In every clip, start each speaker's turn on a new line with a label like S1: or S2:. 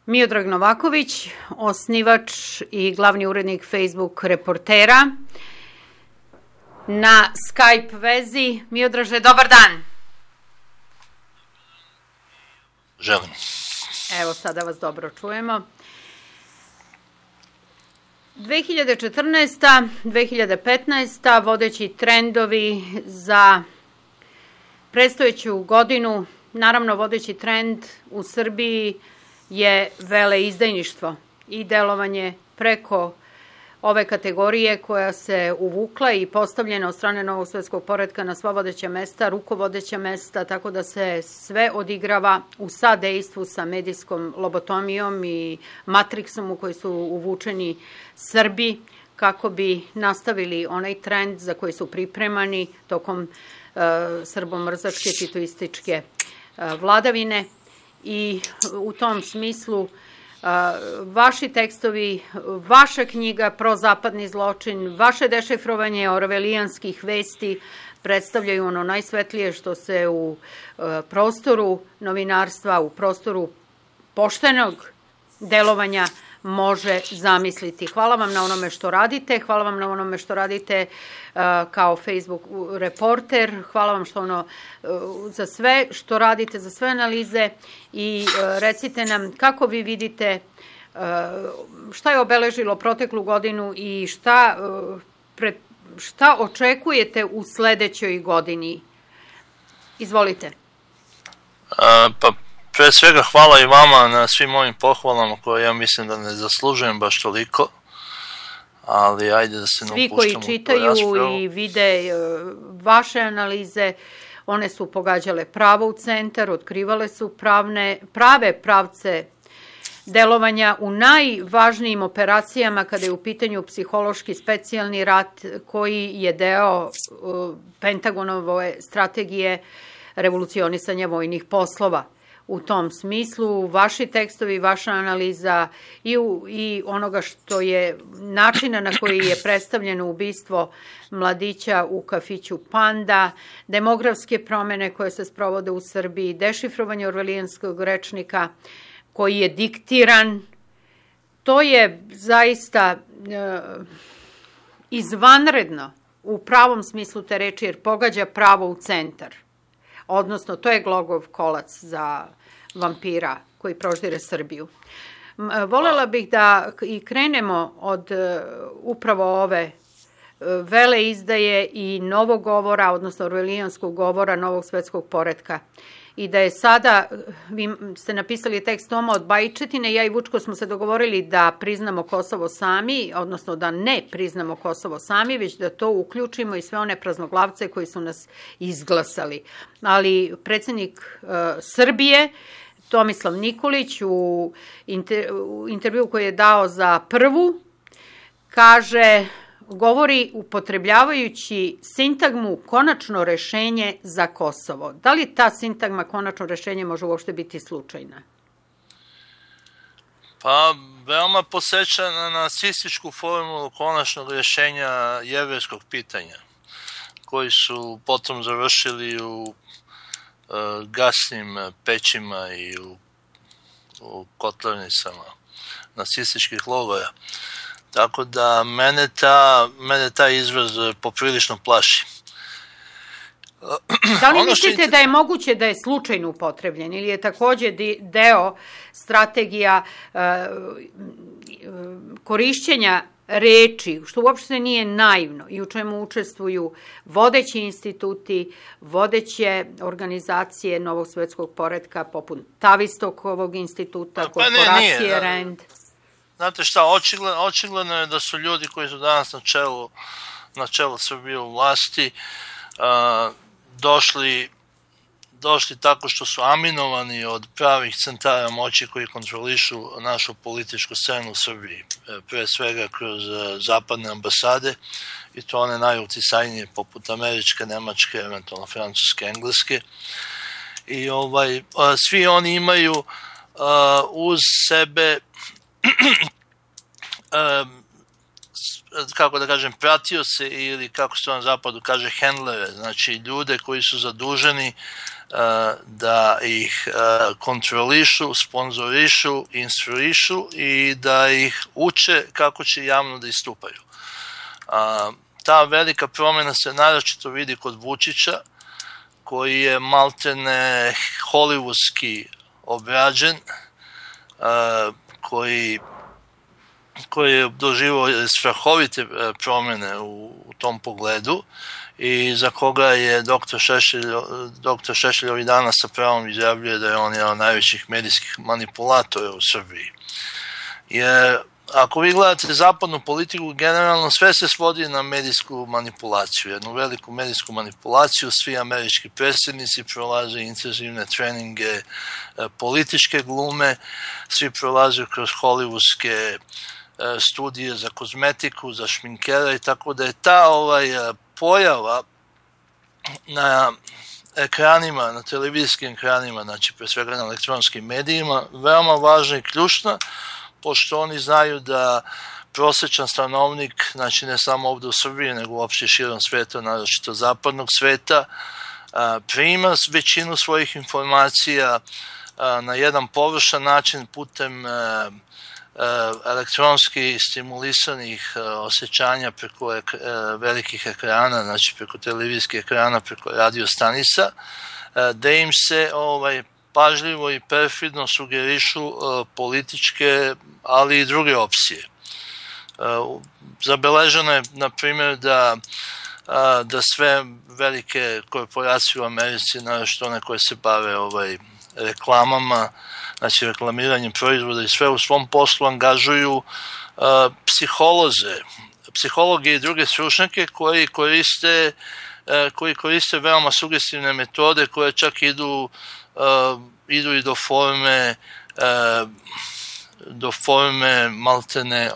S1: Miodrag Novaković, osnivač i glavni urednik Facebook reportera. Na Skype vezi. Miodraže, dobar dan.
S2: Želim.
S1: Evo, sada vas dobro čujemo. 2014. 2015. vodeći trendovi za predstojeću godinu, naravno vodeći trend u Srbiji je veleizdajništvo i delovanje preko ove kategorije koja se uvukla i postavljena od strane Novog svetskog poretka na sva vodeća mesta, rukovodeća mesta, tako da se sve odigrava u sadejstvu sa medijskom lobotomijom i matriksom u koji su uvučeni Srbi kako bi nastavili onaj trend za koji su pripremani tokom srbomrzačke titoističke vladavine. I u tom smislu vaši tekstovi, vaša knjiga Prozapadni zločin, vaše dešifrovanje orvelijanskih vesti predstavljaju ono najsvetlije što se u prostoru novinarstva, u prostoru poštenog delovanja može zamisliti. Hvala vam na onome što radite, hvala vam na onome što radite kao Facebook reporter, hvala vam za sve što radite, za sve analize i recite nam kako vi vidite šta je obeležilo proteklu godinu i šta očekujete u sledećoj godini. Izvolite.
S2: Pre svega hvala i vama na svim ovim pohvalama koje ja mislim da ne zaslužujem baš toliko, ali ajde da se ne upuštamo u tu raspravu.
S1: Svi koji čitaju i vide vaše analize, one su pogađale pravo u centar, otkrivale su prave pravce delovanja u najvažnijim operacijama kada je u pitanju psihološki specijalni rat koji je deo Pentagonove strategije revolucionisanja vojnih poslova. U tom smislu, vaši tekstovi, vaša analiza i onoga što je načina na koji je predstavljeno ubistvo mladića u kafiću Panda, demografske promene koje se sprovode u Srbiji, dešifrovanje orvelijanskog rečnika koji je diktiran, to je zaista izvanredno u pravom smislu te reči jer pogađa pravo u centar. Odnosno, to je glogov kolac za vampira koji proždire Srbiju. Volela bih da i krenemo od upravo ove veleizdaje i novog govora, odnosno orvelijanskog govora Novog svetskog poretka. I da je sada, vi ste napisali tekst Toma od Bajčetine, ja i Vučko smo se dogovorili da priznamo Kosovo sami, odnosno da ne priznamo Kosovo sami, već da to uključimo i sve one praznoglavce koji su nas izglasali. Ali predsjednik Srbije, Tomislav Nikolić, u intervju koji je dao za Prvu, govori upotrebljavajući sintagmu konačno rešenje za Kosovo. Da li ta sintagma konačno rešenje može uopšte biti slučajna?
S2: Pa, veoma podsjeća na nacističku formulu konačnog rješenja jevrejskog pitanja, koji su potom završili u gasnim pećima i u kotlarnicama nacističkih logora. Tako da mene taj izraz poprilično plaši.
S1: Da li mislite da je moguće da je slučajno upotrebljen ili je takođe deo strategija korišćenja reči, što uopšte nije naivno i u čemu učestvuju vodeći instituti, vodeće organizacije Novog svetskog poretka, poput Tavistokovog instituta, korporacije RAND?
S2: Znate šta, očigledno je da su ljudi koji su danas na čelu Srbije u vlasti došli tako što su aminovani od pravih centara moći koji kontrolišu našu političku scenu u Srbiji, pre svega kroz zapadne ambasade i to one najuticajnije poput američke, nemačke, eventualno francuske, engleske. I svi oni imaju uz sebe kako da kažem, pratioce ili kako se to na zapadu kaže handlere, znači ljude koji su zaduženi da ih kontrolišu, sponzorišu, instruišu i da ih uče kako će javno da istupaju. Ta velika promjena se naročito vidi kod Vučića, koji je maltene hollywoodski obrađen, koji je doživio strahovite promjene u tom pogledu i za koga je dr. Šešelj ovih dana sa pravom izjavljuje da je on jedan od najvećih medijskih manipulatora u Srbiji. Jer ako vi gledate zapadnu politiku, generalno sve se svodi na medijsku manipulaciju, jednu veliku medijsku manipulaciju. Svi američki predsjednici prolaze intenzivne treninge političke glume, svi prolaze kroz hollywoodske studije za kozmetiku, za šminkera i tako da je ta pojava na ekranima, na televizijskim ekranima, znači pre svega na elektronskim medijima, veoma važna i ključna, pošto oni znaju da prosječan stanovnik, znači ne samo ovdje u Srbiji, nego uopšte širom sveta, naročito zapadnog sveta, prima većinu svojih informacija na jedan površan način putem elektronski stimulisanih osjećanja preko velikih ekrana, znači preko televizijskih ekrana, preko radio stanica, da im se pažljivo i perfidno sugerišu političke, ali i druge opcije. Zabeleženo je, na primjer, da sve velike korporacije u Americi, naročito one koje se bave reklamama, znači reklamiranjem proizvoda i sve u svom poslu angažuju psihologe i druge stručnjake koji koriste veoma sugestivne metode koje čak idu i do forme maltene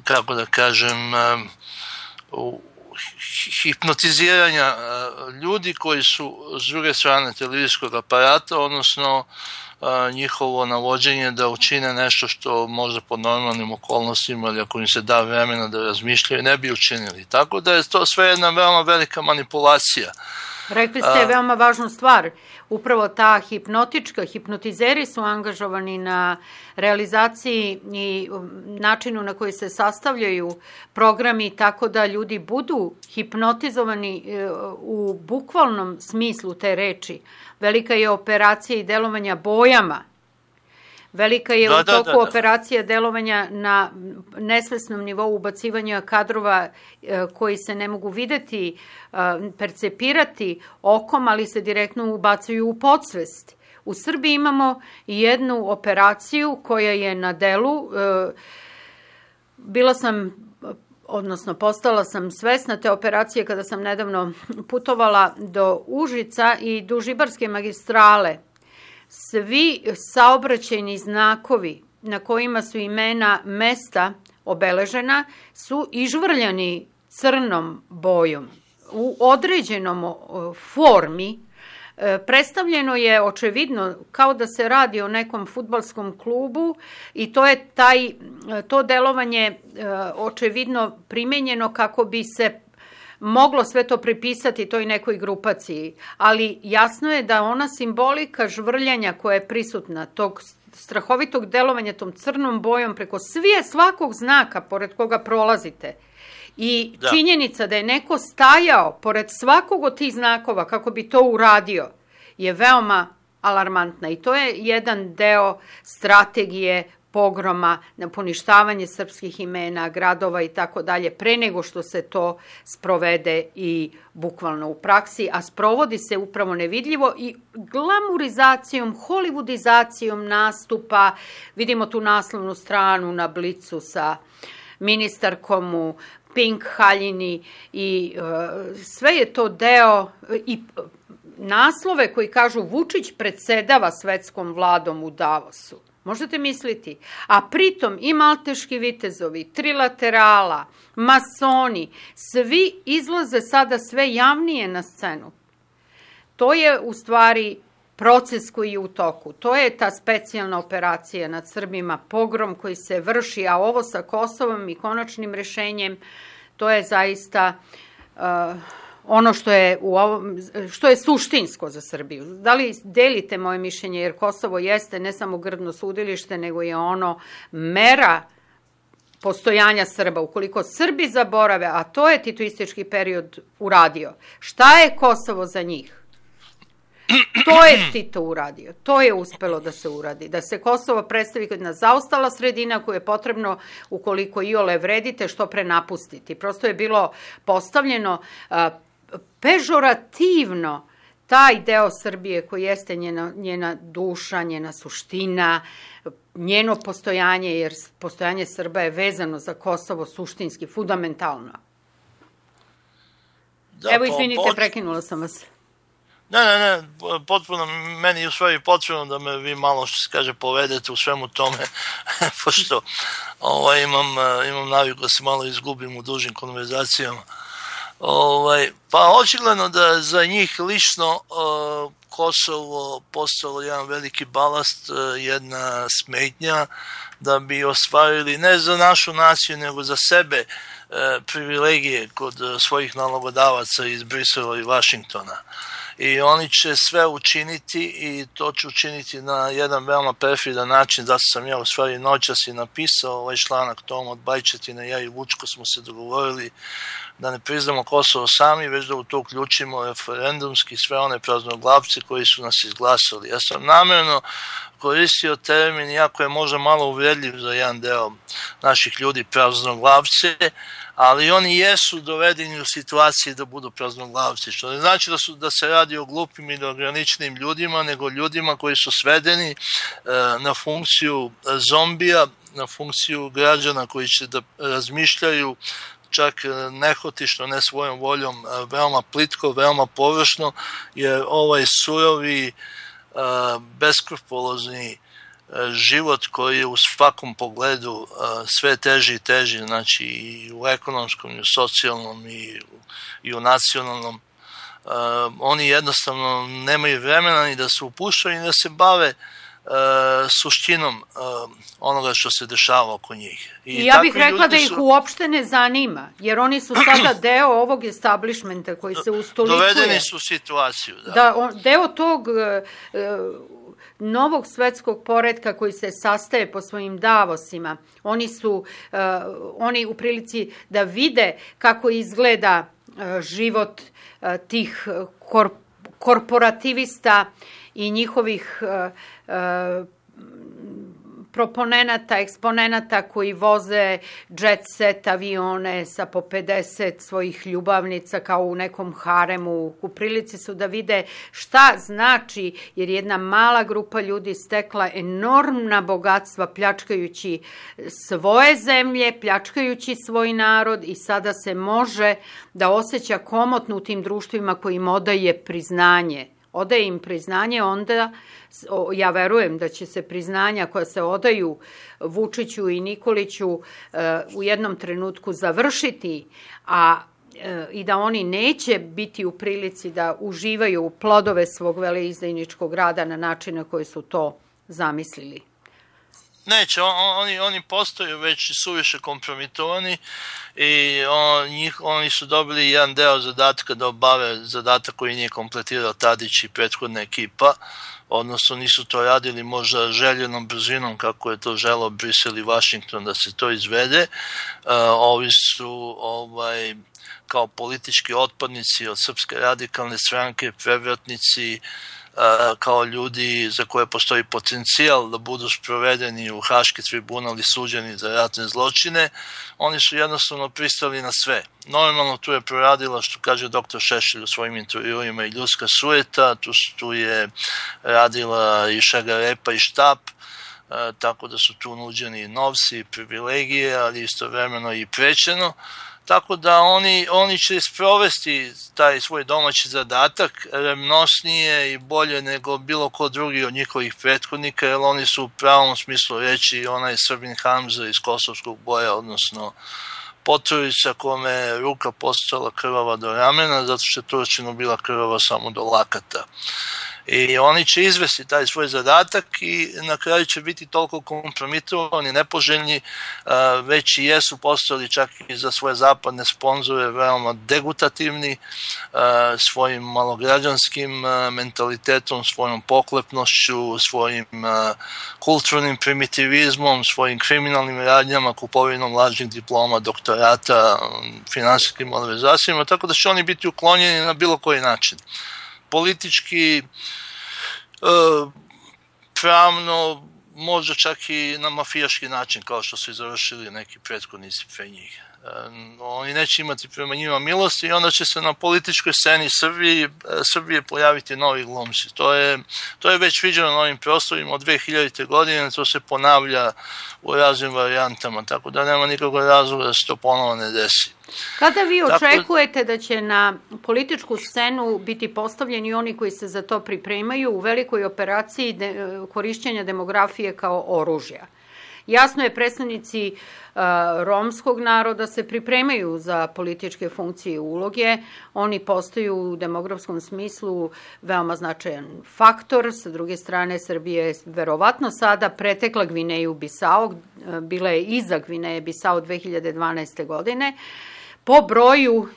S2: kako da kažem hipnotiziranja ljudi koji su s druge strane televizijskog aparata, odnosno njihovo navođenje da učine nešto što možda pod normalnim okolnostima ili ako im se da vremena da razmišljaju ne bi učinili. Tako da je to sve jedna veoma velika manipulacija.
S1: Rekli ste veoma važnu stvar. Upravo ta hipnotizeri su angažovani na realizaciji i načinu na koji se sastavljaju programi tako da ljudi budu hipnotizovani u bukvalnom smislu te reči. Velika je operacija i delovanja bojama. Velika je u toku operacija delovanja na nesvesnom nivou ubacivanja kadrova koji se ne mogu videti, percepirati okom, ali se direktno ubacuju u podsvest. U Srbiji imamo jednu operaciju koja je na delu. Postala sam svesna te operacije kada sam nedavno putovala do Užica i do Žibarske magistrale. Svi saobraćajni znakovi na kojima su imena mesta obeležena su ižvrljani crnom bojom. U određenom formi predstavljeno je očevidno kao da se radi o nekom fudbalskom klubu i to delovanje očevidno primenjeno kako bi se moglo sve to pripisati toj nekoj grupaciji, ali jasno je da ona simbolika žvrljanja koja je prisutna, tog strahovitog delovanja tom crnom bojom preko svakog znaka pored koga prolazite i činjenica da je neko stajao pored svakog od tih znakova kako bi to uradio je veoma alarmantna i to je jedan deo strategije pogroma, na poništavanje srpskih imena, gradova i tako dalje, pre nego što se to sprovede i bukvalno u praksi, a sprovodi se upravo nevidljivo i glamurizacijom, hollywoodizacijom nastupa. Vidimo tu naslovnu stranu na Blicu sa ministarkom u pink haljini i sve je to deo i naslove koji kažu Vučić predsedava svetskom vladom u Davosu. Možete misliti. A pritom i malteški vitezovi, trilaterala, masoni, svi izlaze sada sve javnije na scenu. To je u stvari proces koji je u toku. To je ta specijalna operacija nad Srbima, pogrom koji se vrši, a ovo sa Kosovom i konačnim rešenjem, to je zaista ono što je suštinsko za Srbiju. Da li delite moje mišljenje, jer Kosovo jeste ne samo grdno sudilište, nego je ono mera postojanja Srba. Ukoliko Srbi zaborave, a to je titoistički period uradio, šta je Kosovo za njih? To je Tito uradio, to je uspelo da se uradi, da se Kosovo predstavi kao jedna zaostala sredina koju je potrebno, ukoliko iole vredite, što pre napustiti. Prosto je bilo postavljeno pežorativno taj deo Srbije koji jeste njena duša, njena suština, njeno postojanje, jer postojanje Srba je vezano za Kosovo suštinski, fundamentalno. Evo, izvinite, prekinula sam vas.
S2: Ne, potpuno, meni je u stvari potrebno da me vi malo, što se kaže, povedete u svemu tome, pošto imam naviku da se malo izgubim u dužim konverzacijama. Pa očigledno da za njih lično Kosovo postalo jedan veliki balast, jedna smetnja da bi ostvarili ne za našu naciju nego za sebe privilegije kod svojih nalogodavaca iz Brisela i Vašingtona. I oni će sve učiniti i to će učiniti na jedan veoma perfidan način. Zato sam ja u stvari noćas i napisao ovaj članak Tom od Bajčetina, ja i Vučko smo se dogovorili da ne priznamo Kosovo sami, već da u to uključimo referendumski sve one praznoglavce koji su nas izglasali. Ja sam namjerno koristio termin, iako je možda malo uvredljiv za jedan deo naših ljudi, praznoglavce, ali oni jesu dovedeni u situaciji da budu praznoglavci, što ne znači da se radi o glupim i neograničenim ljudima, nego ljudima koji su svedeni na funkciju zombija, na funkciju građana koji će da razmišljaju čak nehotično, ne svojom voljom, veoma plitko, veoma površno, jer ovaj surovi, beskrupulozni život koji je u svakom pogledu sve teži i teži, znači i u ekonomskom, i u socijalnom, i u nacionalnom, oni jednostavno nemaju vremena ni da se upuštaju, ni da se bave suštinom onoga što se dešava oko njih.
S1: I ja bih rekla da ih uopšte ne zanima, jer oni su sada deo ovog establishmenta koji se ustolikuje.
S2: Dovedeni su u situaciju.
S1: Deo tog novog svetskog poretka koji se sastaje po svojim davosima. Oni u prilici da vide kako izgleda život tih korporativista i njihovih proponenata, eksponenata koji voze jet set avione sa po 50 svojih ljubavnica kao u nekom haremu. U prilici su da vide šta znači, jer jedna mala grupa ljudi stekla enormna bogatstva pljačkajući svoje zemlje, pljačkajući svoj narod, i sada se može da osjeća komotno u tim društvima koji im odaje priznanje. Odaje im priznanje, onda ja verujem da će se priznanja koja se odaju Vučiću i Nikoliću u jednom trenutku završiti, i da oni neće biti u prilici da uživaju plodove svog veleizdajničkog rada na način na koji su to zamislili.
S2: Neće, oni postaju već suviše kompromitovani i oni su dobili jedan deo zadatka da obave zadatak koji nije kompletirao Tadić i prethodna ekipa, odnosno nisu to radili možda željenom brzinom kako je to želeo Brisel i Vašington da se to izvede. Ovi su kao politički otpadnici od Srpske radikalne stranke, prevratnici, kao ljudi za koje postoji potencijal da budu sprovedeni u Haški tribunal i suđeni za ratne zločine, oni su jednostavno pristali na sve. Normalno tu je proradila, što kaže dr. Šešelj u svojim intervjuima, i ljudska sujeta, tu je radila i šagarepa i štap, tako da su tu nuđeni novci i privilegije, ali istovremeno i prećeno. Tako da oni će sprovesti taj svoj domaći zadatak revnosnije i bolje nego bilo ko drugi od njihovih prethodnika, jer oni su u pravom smislu reći onaj Srbin Hamza iz kosovskog boja, odnosno Poturica kome je ruka postala krvava do ramena, zato što je Turčinu bila krvava samo do lakata. I oni će izvesti taj svoj zadatak i na kraju će biti toliko kompromitovani, nepoželjni, već i jesu postali čak i za svoje zapadne sponzore veoma degutativni, svojim malograđanskim mentalitetom, svojom poklepnošću, svojim kulturnim primitivizmom, svojim kriminalnim radnjama, kupovinom lažnih diploma, doktorata, finansijskim malverzacijama, tako da će oni biti uklonjeni na bilo koji način. Politički, pravno, možda čak i na mafijaški način, kao što su i završili neki prethodnici pre njih. Oni neće imati prema njima milosti i onda će se na političkoj sceni Srbije pojaviti novi glumci. To je već viđeno na ovim prostorima od 2000. godine, to se ponavlja u raznim varijantama, tako da nema nikakvog razloga da se to ponovo ne desi.
S1: Kada vi očekujete da će na političku scenu biti postavljeni oni koji se za to pripremaju u velikoj operaciji korišćenja demografije kao oružja? Jasno je, predstavnici romskog naroda se pripremaju za političke funkcije i uloge. Oni postaju u demografskom smislu veoma značajan faktor. Sa druge strane, Srbija je verovatno sada pretekla Gvineju Bisao, bila je iza Gvineje Bisao 2012. godine, po broju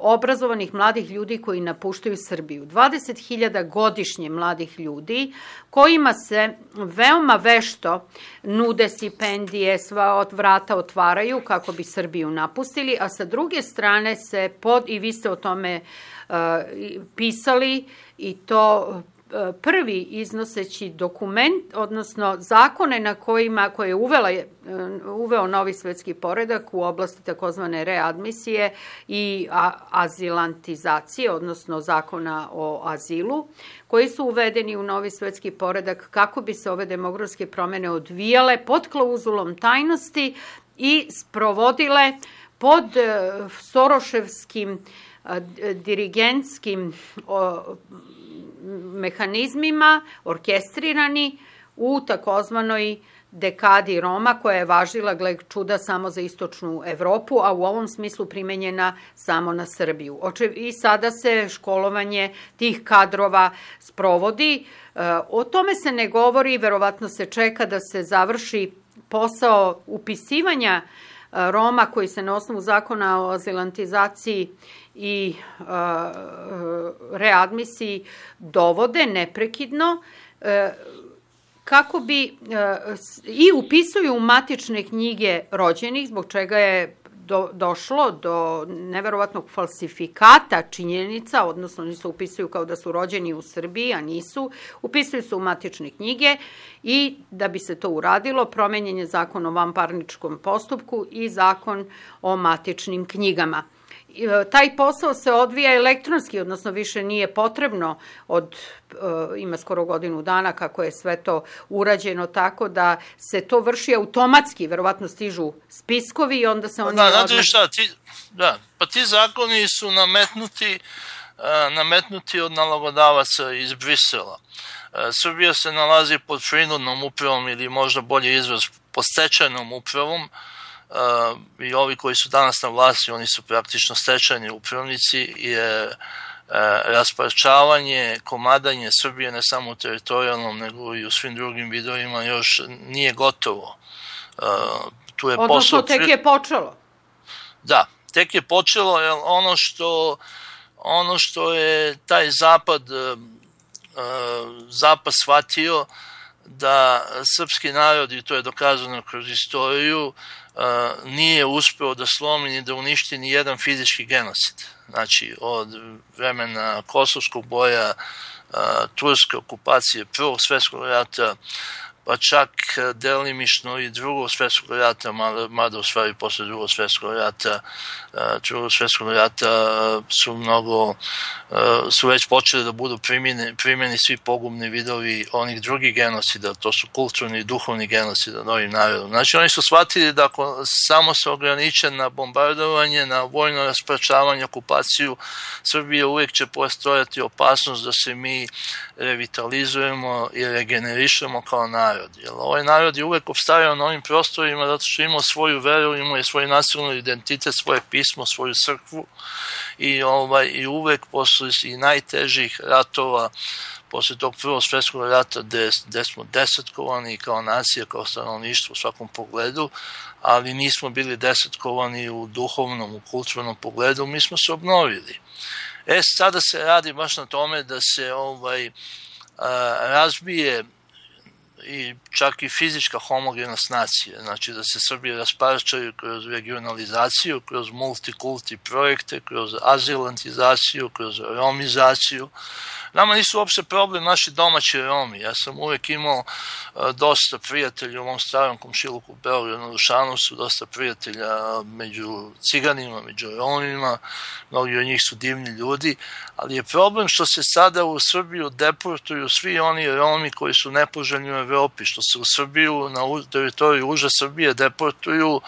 S1: obrazovanih mladih ljudi koji napuštaju Srbiju. 20.000 godišnje mladih ljudi kojima se veoma vešto nude stipendije, sva od vrata otvaraju kako bi Srbiju napustili, a sa druge strane se i vi ste o tome pisali, i to prvi iznoseći dokument, odnosno zakone na koje je uveo novi svetski poredak u oblasti takozvane readmisije i azilantizacije, odnosno zakona o azilu, koji su uvedeni u novi svetski poredak kako bi se ove demografske promene odvijale pod klauzulom tajnosti i sprovodile pod soroševskim dirigentskim mehanizmima, orkestrirani u takozvanoj dekadi Roma, koja je važila, gle čuda, samo za istočnu Evropu, a u ovom smislu primenjena samo na Srbiju. I sada se školovanje tih kadrova sprovodi. O tome se ne govori, verovatno se čeka da se završi posao upisivanja Roma koji se na osnovu zakona o azilantizaciji i readmisiji dovode neprekidno, kako bi i upisuju u matične knjige rođenih, zbog čega je došlo do neverovatnog falsifikata činjenica, odnosno oni se upisuju kao da su rođeni u Srbiji, a nisu, upisuju se u matične knjige, i da bi se to uradilo, promenjen je zakon o vanparničkom postupku i zakon o matičnim knjigama. Taj posao se odvija elektronski, odnosno više nije potrebno ima skoro godinu dana kako je sve to urađeno, tako da se to vrši automatski, verovatno stižu spiskovi i onda se oni...
S2: Znate šta, pa ti zakoni su nametnuti od nalogodavaca iz Brisela. Srbija se nalazi pod prinudnom upravom, ili možda bolje izraz pod stečajnom upravom, i ovi koji su danas na vlasti, oni su praktično stečajni upravnici, jer rasparčavanje, komadanje Srbije ne samo u teritorijalnom, nego i u svim drugim vidovima još nije gotovo.
S1: Odnosno tek je počelo.
S2: Da, tek je počelo, jer ono što je taj zapad shvatio, da srpski narod, i to je dokazano kroz istoriju, nije uspeo da slomi ni da uništi ni jedan fizički genocid. Znači, od vremena Kosovskog boja, turske okupacije, Prvog svjetskog rata, pa čak delimično i Drugog svjetskog rata, mada u stvari posle Drugog svjetskog rata su već počeli da budu primjeni svi pogubni vidovi onih drugih genocida, to su kulturni i duhovni genocida novim narodom. Znači, oni su shvatili da ako samo se ograniče na bombardovanje, na vojno raspračavanje, okupaciju Srbije, uvijek će postojati opasnost da se mi revitalizujemo i regenerišemo kao narod. narod. Jer ovaj narod je uvek opstajao na ovim prostorima zato što je imao svoju veru, imao je svoj nacionalni identitet, svoje pismo, svoju crkvu i uvek posle i najtežih ratova, posle tog Prvog svjetskog rata gde smo desetkovani kao nacija, kao stanovništvo u svakom pogledu, ali nismo bili desetkovani u duhovnom, u kulturnom pogledu, mi smo se obnovili. Sada se radi baš na tome da se razbije i čak i fizička homogenost nacije, znači da se Srbije rasparčaju kroz regionalizaciju, kroz multikulti projekte, kroz azilantizaciju, kroz romizaciju. Nama nisu uopšte problem naši domaći Romi. Ja sam uvek imao dosta prijatelja u mom starom komšiluku u Beogradu na Dušanovcu, dosta prijatelja među ciganima, među Romima, mnogi od njih su divni ljudi, ali je problem što se sada u Srbiju deportuju svi oni Romi koji su nepoželjni u Evropi, što se u Srbiju, na teritoriju uže Srbije deportuju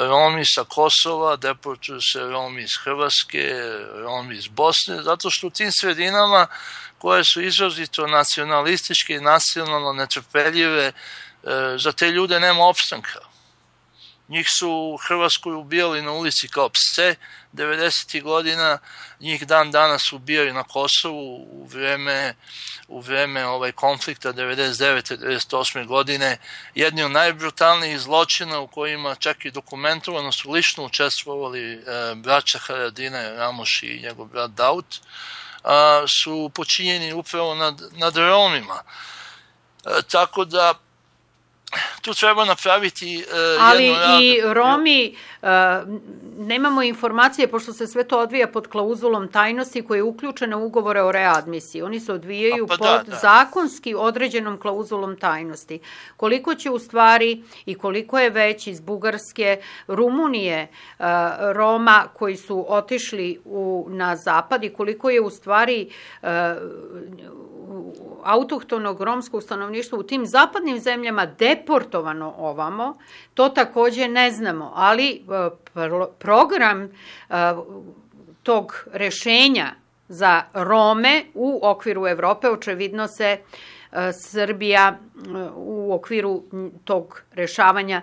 S2: Romi sa Kosova, deportuju se Romi iz Hrvatske, Romi iz Bosne, zato što u tim sredinama koje su izrazito nacionalističke i nacionalno netrpeljive, za te ljude nema opstanka. Njih su u Hrvatskoj ubijali na ulici kao pse 90. godina, njih dan danas ubijaju na Kosovu u vreme konflikta 99. 98. godine. Jedni od najbrutalnijih zločina u kojima čak i dokumentovano su lično učestvovali braća Haradina, Ramoš i njegov brat Daut, su počinjeni upravo nad Romima. Tako da tu treba napraviti
S1: ali i Romi, nemamo informacije, pošto se sve to odvija pod klauzulom tajnosti koja je uključena u ugovore o readmisiji. Oni se odvijaju pod zakonski određenom klauzulom tajnosti. Koliko će u stvari i koliko je već iz Bugarske, Rumunije Roma koji su otišli na zapad i koliko je u stvari autohtonog romskog stanovništva u tim zapadnim zemljama deportovano ovamo, to takođe ne znamo, ali program tog rešenja za Rome u okviru Evrope očevidno se Srbija u okviru tog rešavanja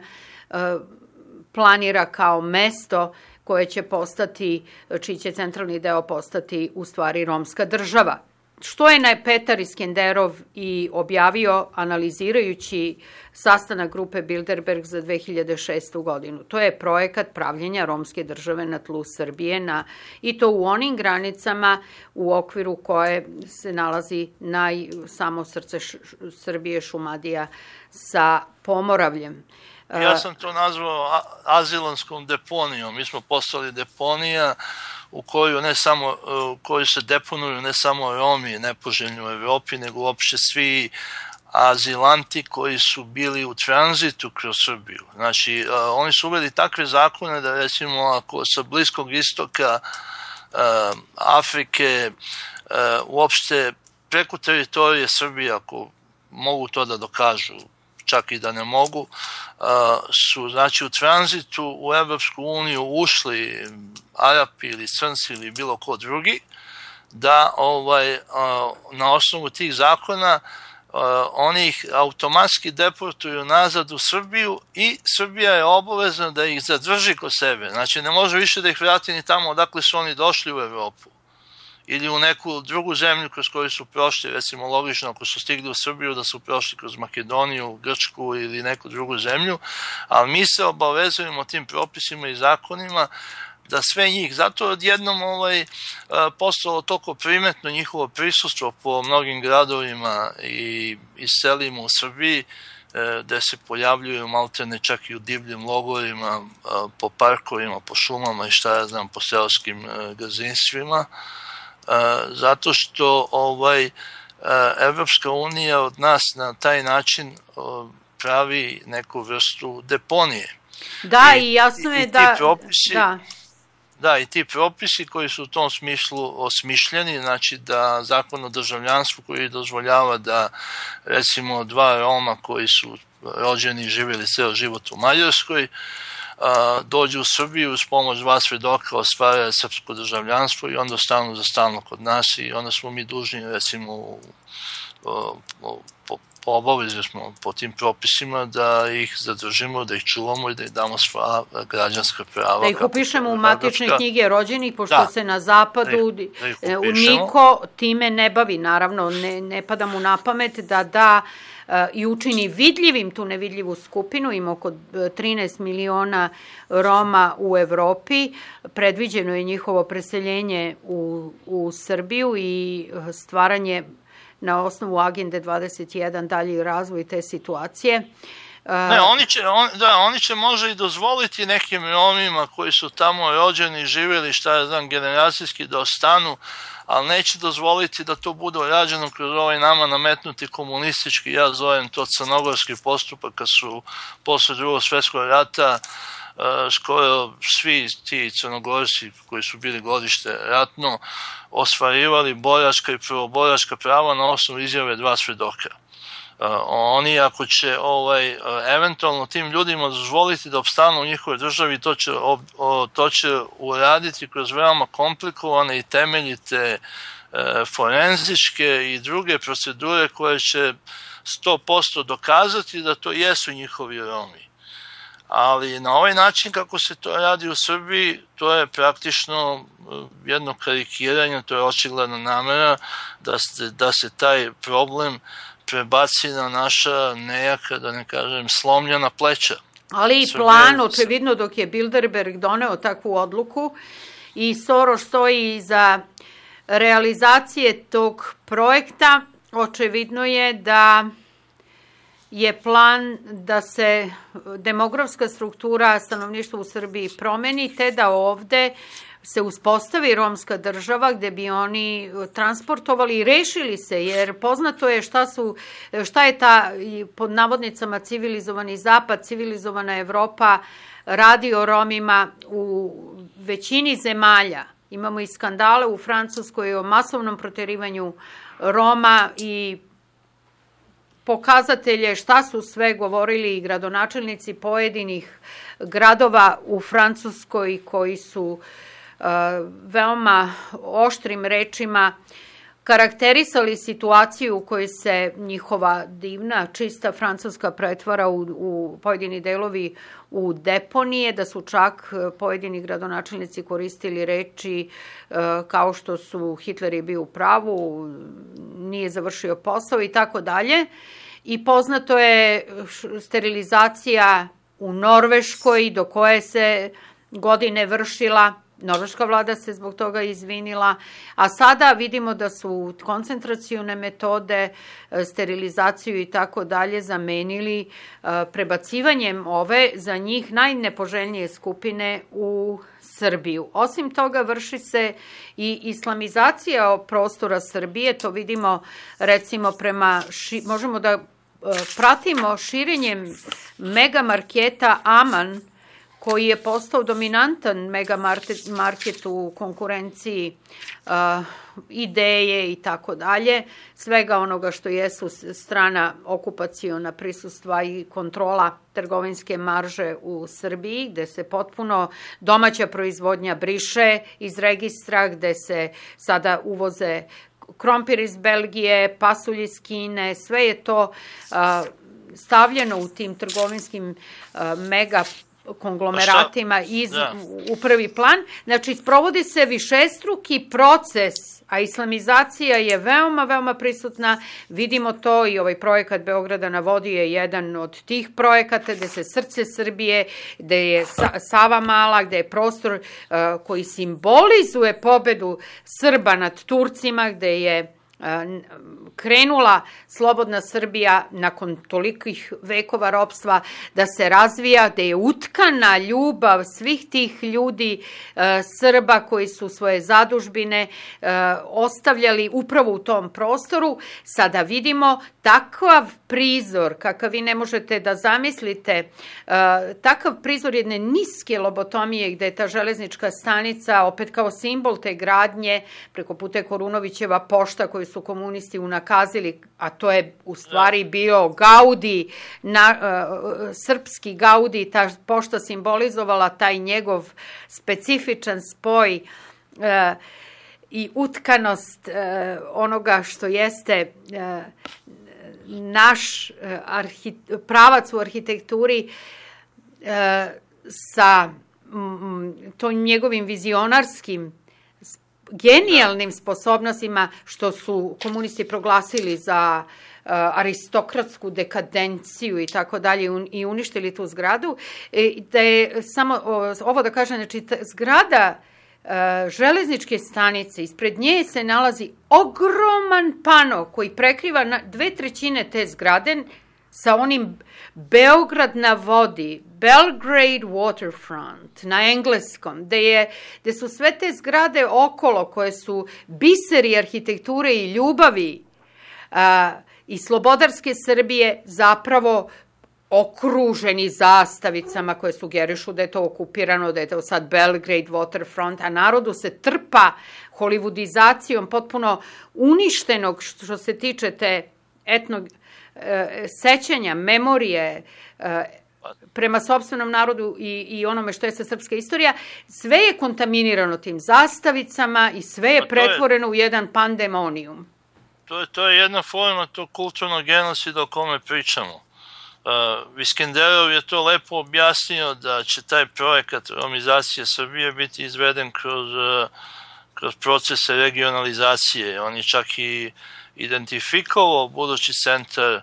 S1: planira kao mesto koje će postati, čiji će centralni deo postati u stvari romska država. Što je Petar Iskenderov i objavio analizirajući sastanak grupe Bilderberg za 2006. godinu. To je projekat pravljenja romske države na tlu Srbije i to u onim granicama u okviru koje se nalazi samo srce Srbije, Šumadija sa Pomoravljem.
S2: Ja sam to nazvao azilanskom deponijom. Mi smo postali deponija u koju se deponuju ne samo Romi nepoželjni u Evropi, nego uopšte svi azilanti koji su bili u tranzitu kroz Srbiju. Znači, oni su uveli takve zakone da recimo ako sa Bliskog istoka, Afrike, uopšte preko teritorije Srbije, ako mogu to da dokažu, čak i da ne mogu, su znači u tranzitu u Evropsku uniju ušli Arapi ili Crnci ili bilo ko drugi, da na osnovu tih zakona oni ih automatski deportuju nazad u Srbiju i Srbija je obavezna da ih zadrži kod sebe. Znači ne može više da ih vrati ni tamo odakle su oni došli u Evropu ili u neku drugu zemlju kroz koju su prošli, recimo logično ako su stigli u Srbiju da su prošli kroz Makedoniju, Grčku ili neku drugu zemlju, ali mi se obavezujemo tim propisima i zakonima da sve njih, zato odjednom postalo toliko primetno njihovo prisustvo po mnogim gradovima i selima u Srbiji, gde se pojavljuju maltene čak i u divljim logorima, po parkovima, po šumama i šta ja znam, po seoskim gazdinstvima, zato što Evropska unija od nas na taj način pravi neku vrstu deponije.
S1: Da, i jasno je da...
S2: Da, i ti propisi koji su u tom smislu osmišljeni, znači da zakon o državljanstvu koji dozvoljava da recimo dva Roma koji su rođeni i živjeli ceo život u Mađarskoj, dođu u Srbiju uz pomoć dva svedoka, ostvare srpsko državljanstvo i onda ostanu za stalno kod nas i onda smo mi dužni recimo po obavezi smo po tim propisima da ih zadržimo, da ih čuvamo i da ih damo sva građanska prava.
S1: Da ih upišemo u matične knjige rođenih, pošto se na zapadu niko time ne bavi, naravno, ne pada mu na pamet da i učini vidljivim tu nevidljivu skupinu. Ima oko 13 miliona Roma u Evropi. Predviđeno je njihovo preseljenje u Srbiju i stvaranje na osnovu agende 21 dalji razvoj te situacije.
S2: Ne, oni će možda i dozvoliti nekim Romima koji su tamo rođeni, živjeli, generacijski da ostanu, ali neće dozvoliti da to bude rađeno kroz ovaj nama nametnuti komunistički, ja zovem to crnogorski postupak, kad su posle Drugog svjetskog rata skoro svi ti Crnogorci koji su bili godište ratno ostvarivali boračka i prvoboračka prava na osnovu izjave 2 svedoka. Oni ako će eventualno tim ljudima dozvoliti da opstanu u njihovoj državi, to će uraditi kroz veoma komplikovane i temeljite forenzičke i druge procedure koje će 100% dokazati da to jesu njihovi Romi. Ali na ovaj način kako se to radi u Srbiji, to je praktično jedno karikiranje, to je očigledna namera da se taj problem prebaci na naša nejaka, da ne kažem, slomljena pleća.
S1: Ali i plan, očevidno, dok je Bilderberg doneo takvu odluku i Soros stoji iza realizacije tog projekta, očevidno je da je plan da se demografska struktura stanovništva u Srbiji promeni, te da ovde se uspostavi romska država gde bi oni transportovali i rešili se, jer poznato je šta je ta, pod navodnicama, civilizovani zapad, civilizovana Evropa radi o Romima u većini zemalja. Imamo i skandale u Francuskoj o masovnom proterivanju Roma i pokazatelje šta su sve govorili i gradonačelnici pojedinih gradova u Francuskoj koji su veoma oštrim rečima karakterisali situaciju u kojoj se njihova divna, čista Francuska pretvara u pojedini delovi u deponije, da su čak pojedini gradonačelnici koristili reči kao što su Hitler je bio u pravu, nije završio posao i tako dalje. I poznato je sterilizacija u Norveškoj do koje se godine vršila. Norveška vlada se zbog toga izvinila, a sada vidimo da su koncentracione metode, sterilizaciju i tako dalje zamenili prebacivanjem ove za njih najnepoželjnije skupine u Srbiju. Osim toga, vrši se i islamizacija prostora Srbije, to vidimo recimo možemo da pratimo širenjem megamarketa Aman, koji je postao dominantan megamarket u konkurenciji Ideje i tako dalje, svega onoga što jesu strana okupaciona prisustva i kontrola trgovinske marže u Srbiji, gde se potpuno domaća proizvodnja briše iz registra, gde se sada uvoze krompir iz Belgije, pasulj iz Kine, sve je to stavljeno u tim trgovinskim mega konglomeratima u prvi plan. Znači, sprovodi se višestruki proces, a islamizacija je veoma, veoma prisutna. Vidimo to i ovaj projekat Beograda na vodi je jedan od tih projekata gde se srce Srbije, gde je Sava Mala, gde je prostor koji simbolizuje pobedu Srba nad Turcima, gde je krenula slobodna Srbija nakon tolikih vekova ropstva da se razvija, da je utkana ljubav svih tih ljudi Srba koji su svoje zadužbine ostavljali upravo u tom prostoru. Sada vidimo takav prizor kakav vi ne možete da zamislite, takav prizor jedne niske lobotomije gde je ta železnička stanica opet kao simbol te gradnje, preko puta Korunovićeva pošta koju su komunisti unakazili, a to je u stvari bio Gaudi, srpski Gaudi, ta pošta simbolizovala taj njegov specifičan spoj i utkanost onoga što jeste naš pravac u arhitekturi sa tom njegovim vizionarskim genijalnim sposobnostima što su komunisti proglasili za aristokratsku dekadenciju i tako dalje i uništili tu zgradu. Da je samo ovo da kažem, znači zgrada železničke stanice, ispred nje se nalazi ogroman pano koji prekriva 2/3 te zgrade sa onim Beograd na vodi, Belgrade Waterfront na engleskom, gde su sve te zgrade okolo koje su biseri arhitekture i ljubavi i slobodarske Srbije zapravo okruženi zastavicama koje sugerišu da je to okupirano, da je to sad Belgrade Waterfront, a narodu se trpa holivudizacijom potpuno uništenog što se tiče te sećanja, memorije prema sopstvenom narodu i onome što je sa srpska istorija. Sve je kontaminirano tim zastavicama i sve je pretvoreno u jedan pandemonijum.
S2: To je jedna forma tog kulturnog genocida o kome pričamo. Viskenderov je to lepo objasnio da će taj projekat romizacije Srbije biti izveden kroz procese regionalizacije. On je čak i identifikovao budući centar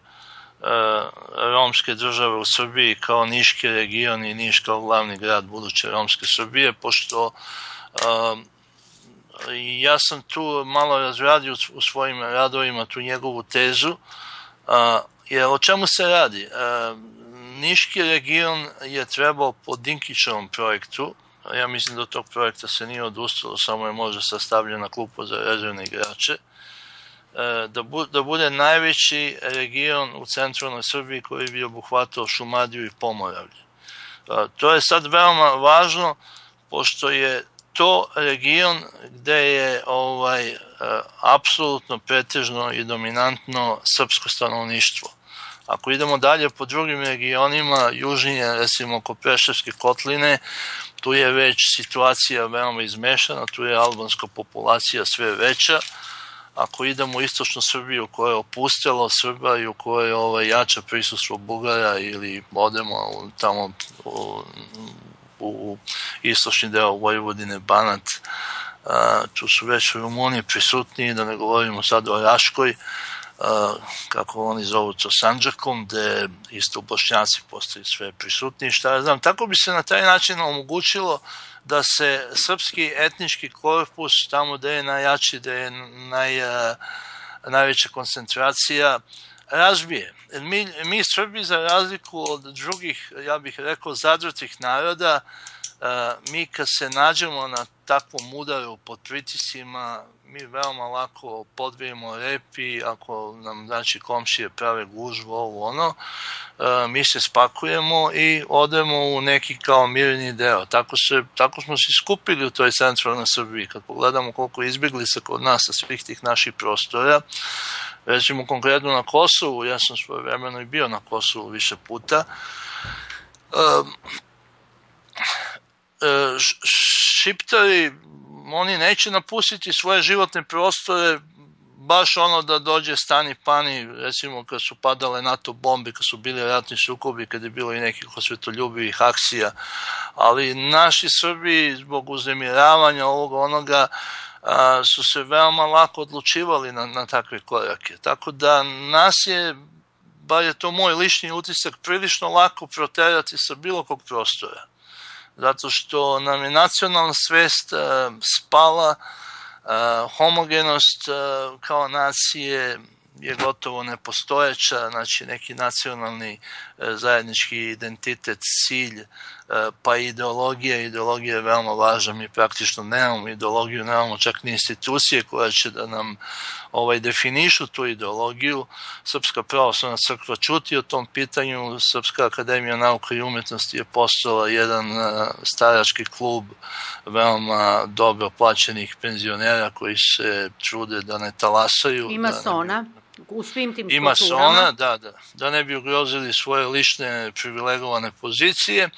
S2: romske države u Srbiji kao Niški region i Niš kao glavni grad buduće romske Srbije, pošto ja sam tu malo razradio u svojim radovima tu njegovu tezu, jer o čemu se radi? Niški region je trebao po Dinkićevom projektu, ja mislim da od tog projekta se nije odustalo, samo je možda sastavljena klupa za rezervne igrače, da bude najveći region u centralnoj Srbiji koji bi obuhvatao Šumadiju i Pomoravlje. To je sad veoma važno, pošto je to region gde je apsolutno pretežno i dominantno srpsko stanovništvo. Ako idemo dalje po drugim regionima, južnije, recimo oko Preševske kotline, tu je već situacija veoma izmešana, tu je albanska populacija sve veća. Ako idemo u istočnu Srbiju koja je opustela Srba i u kojoj je jače prisustvo Bugara ili odemo tamo u istočni deo Vojvodine, Banat, tu su već Rumuni prisutniji, da ne govorimo sad o Raškoj, kako oni zovu to Sandžakom, gde isto Bošnjaci postaju sve prisutniji, šta ja znam. Tako bi se na taj način omogućilo da se srpski etnički korpus tamo gde je najjači, gde je najveća koncentracija, razbije. Mi Srbi, za razliku od drugih, ja bih rekao, zadrtih naroda, mi kad se nađemo na takvom udaru pod pritiscima, mi veoma lako podvijemo repi, ako nam znači komšije prave gužvu, ovo ono, mi se spakujemo i odemo u neki kao mirni deo. Tako smo se skupili u toj centralnoj Srbiji. Kad pogledamo koliko izbjeglica kod nas sa svih tih naših prostora, recimo konkretno na Kosovu, ja sam svojevremeno i bio na Kosovu više puta, Šiptari, oni neće napustiti svoje životne prostore baš ono da dođe stani pani, recimo kad su padale NATO bombe, kad su bili ratni sukobi, kad je bilo i nekih osvetoljubivih akcija, ali naši Srbi zbog uznemiravanja ovoga onoga su se veoma lako odlučivali na takve korake. Tako da nas je, bar je to moj lični utisak, prilično lako proterati sa bilo kog prostora. Zato što nam je nacionalna svest spala, homogenost kao nacije je gotovo nepostojeća, znači neki nacionalni zajednički identitet, cilj, pa ideologija je veoma važna, mi praktično nemamo ideologiju, nemamo čak ni institucije koja će da nam definišu tu ideologiju. Srpska pravoslavna crkva ćuti o tom pitanju, Srpska akademija nauka i umetnosti je postala jedan starački klub veoma dobro plaćenih penzionera koji se trude da ne talasaju.
S1: I masona. U svim tim
S2: kulturama. Ima sona, da ne bi ugrozili svoje lične privilegovane pozicije.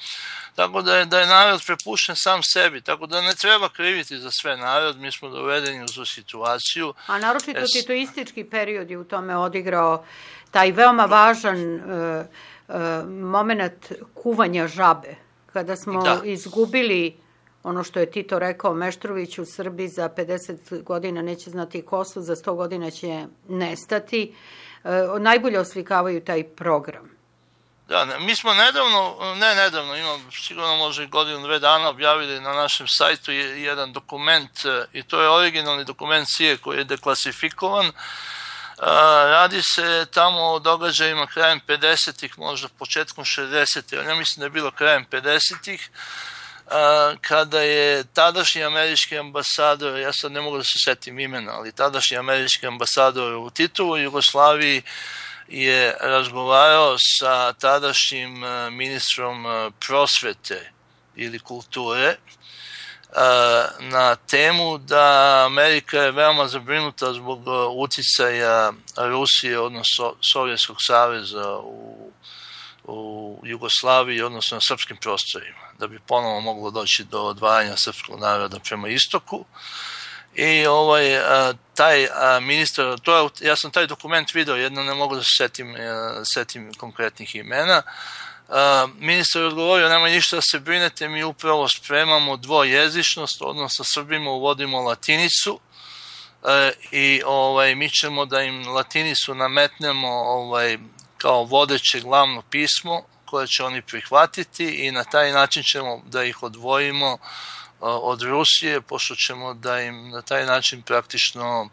S2: Tako da je narod prepušten sam sebi, tako da ne treba kriviti za sve narod, mi smo dovedeni u tu situaciju.
S1: A naročito titoistički period je u tome odigrao taj veoma važan moment kuvanja žabe, kada smo izgubili ono što je Tito rekao Meštrović, u Srbiji za 50 godina neće znati ko su, za 100 godina će nestati, najbolje oslikavaju taj program.
S2: Da, mi smo nedavno, imam sigurno možda i godinu, 2 dana objavili na našem sajtu jedan dokument, i to je originalni dokument CIA koji je deklasifikovan. Radi se tamo o događajima krajem 50-ih, možda početkom 60-ih, ali ja mislim da je bilo krajem 50-ih, kada je tadašnji američki ambasador, ja sad ne mogu da se setim imena, ali tadašnji američki ambasador u Titovoj Jugoslaviji je razgovarao sa tadašnjim ministrom prosvete ili kulture na temu da Amerika je veoma zabrinuta zbog uticaja Rusije, odnosno Sovjetskog saveza u Jugoslaviji, odnosno na srpskim prostorima, da bi ponovo moglo doći do odvajanja srpskog naroda prema istoku. I taj ministar, ja sam taj dokument video, jedno ne mogu da se setim konkretnih imena. Ministar je odgovorio, nema ništa da se brinete, mi upravo spremamo dvojezičnost, odnosno Srbima uvodimo latinicu i mi ćemo da im latinicu nametnemo kao vodeće glavno pismo koje će oni prihvatiti i na taj način ćemo da ih odvojimo od Rusije, pošto ćemo da im na taj način praktično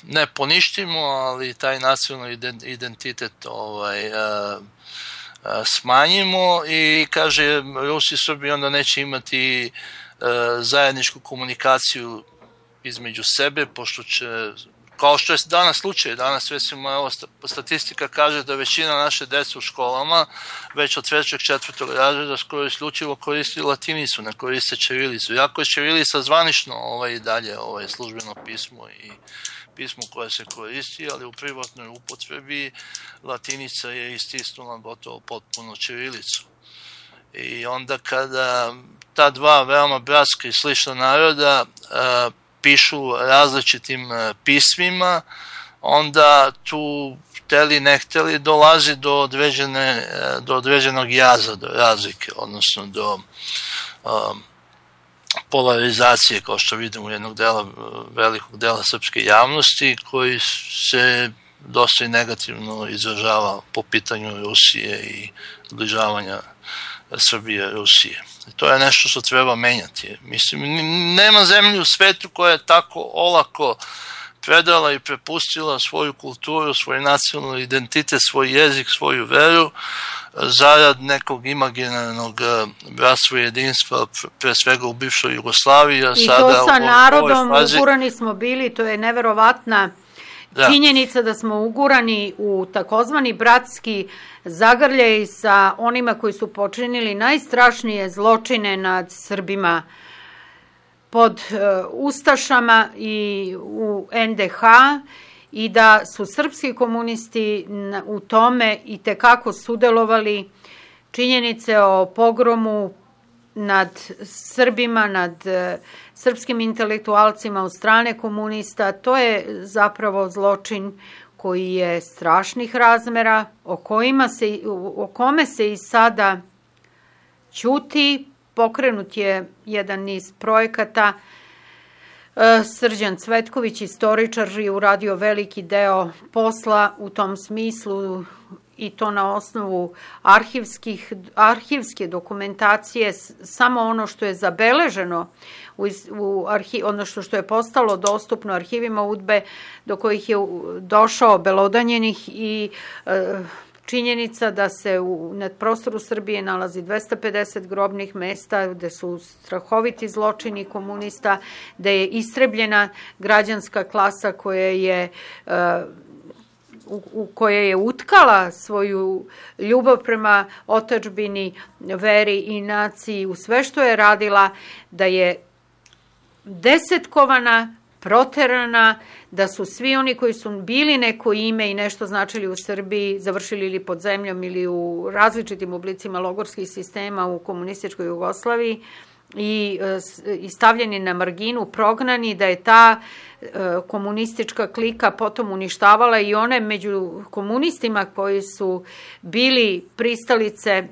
S2: ne poništimo, ali taj nacionalni identitet smanjimo i kaže Rusi i Srbi onda neće imati zajedničku komunikaciju između sebe, pošto će, kao što je danas slučaj, danas recimo evo statistika kaže da većina naše dece u školama već od 3. 4. razreda skoro isključivo koristi latinicu, ne koriste ćirilicu. Iako je ćirilica zvanično i dalje službeno pismo i pismo koje se koristi, ali u privatnoj upotrebi latinica je istisnula gotovo potpuno ćirilicu. I onda kada ta dva veoma bratska i slična naroda pišu različitim pismima, onda tu hteli ne hteli dolazi do određenog jaza, do razlike, odnosno do polarizacije, kao što vidimo jednog velikog dela srpske javnosti, koji se dosta i negativno izražava po pitanju Rusije i zbližavanja Srbije Rusije. To je nešto što treba menjati. Mislim, nema zemlje u svetu koja je tako olako predala i prepustila svoju kulturu, svoj nacionalni identitet, svoj jezik, svoju veru, zarad nekog imaginarnog bratstva i jedinstva, pre svega u bivšoj Jugoslaviji.
S1: I to sa narodom ugurani smo bili, to je neverovatna činjenica da smo ugurani u takozvani bratski zagrljaj sa onima koji su počinili najstrašnije zločine nad Srbima pod ustašama i u NDH i da su srpski komunisti u tome i tekako sudelovali. Činjenice o pogromu nad Srbima, nad srpskim intelektualcima od strane komunista, to je zapravo zločin koji je strašnih razmera, o kome se i sada ćuti. Pokrenut je jedan niz projekata. Srđan Cvetković, istoričar, je uradio veliki deo posla u tom smislu i to na osnovu arhivske dokumentacije, samo ono što je zabeleženo, odnosno što je postalo dostupno arhivima UDBE, do kojih je došao obelodanjenih i činjenica da se na prostoru Srbije nalazi 250 grobnih mesta, gde su strahoviti zločini komunista, gde je istrebljena građanska klasa koja je utkala svoju ljubav prema otadžbini, veri i naciji u sve što je radila, da je desetkovana, proterana, da su svi oni koji su bili neko ime i nešto značili u Srbiji završili ili pod zemljom ili u različitim oblicima logorskih sistema u komunističkoj Jugoslaviji i stavljeni na marginu, prognani, da je ta komunistička klika potom uništavala i one među komunistima koji su bili pristalice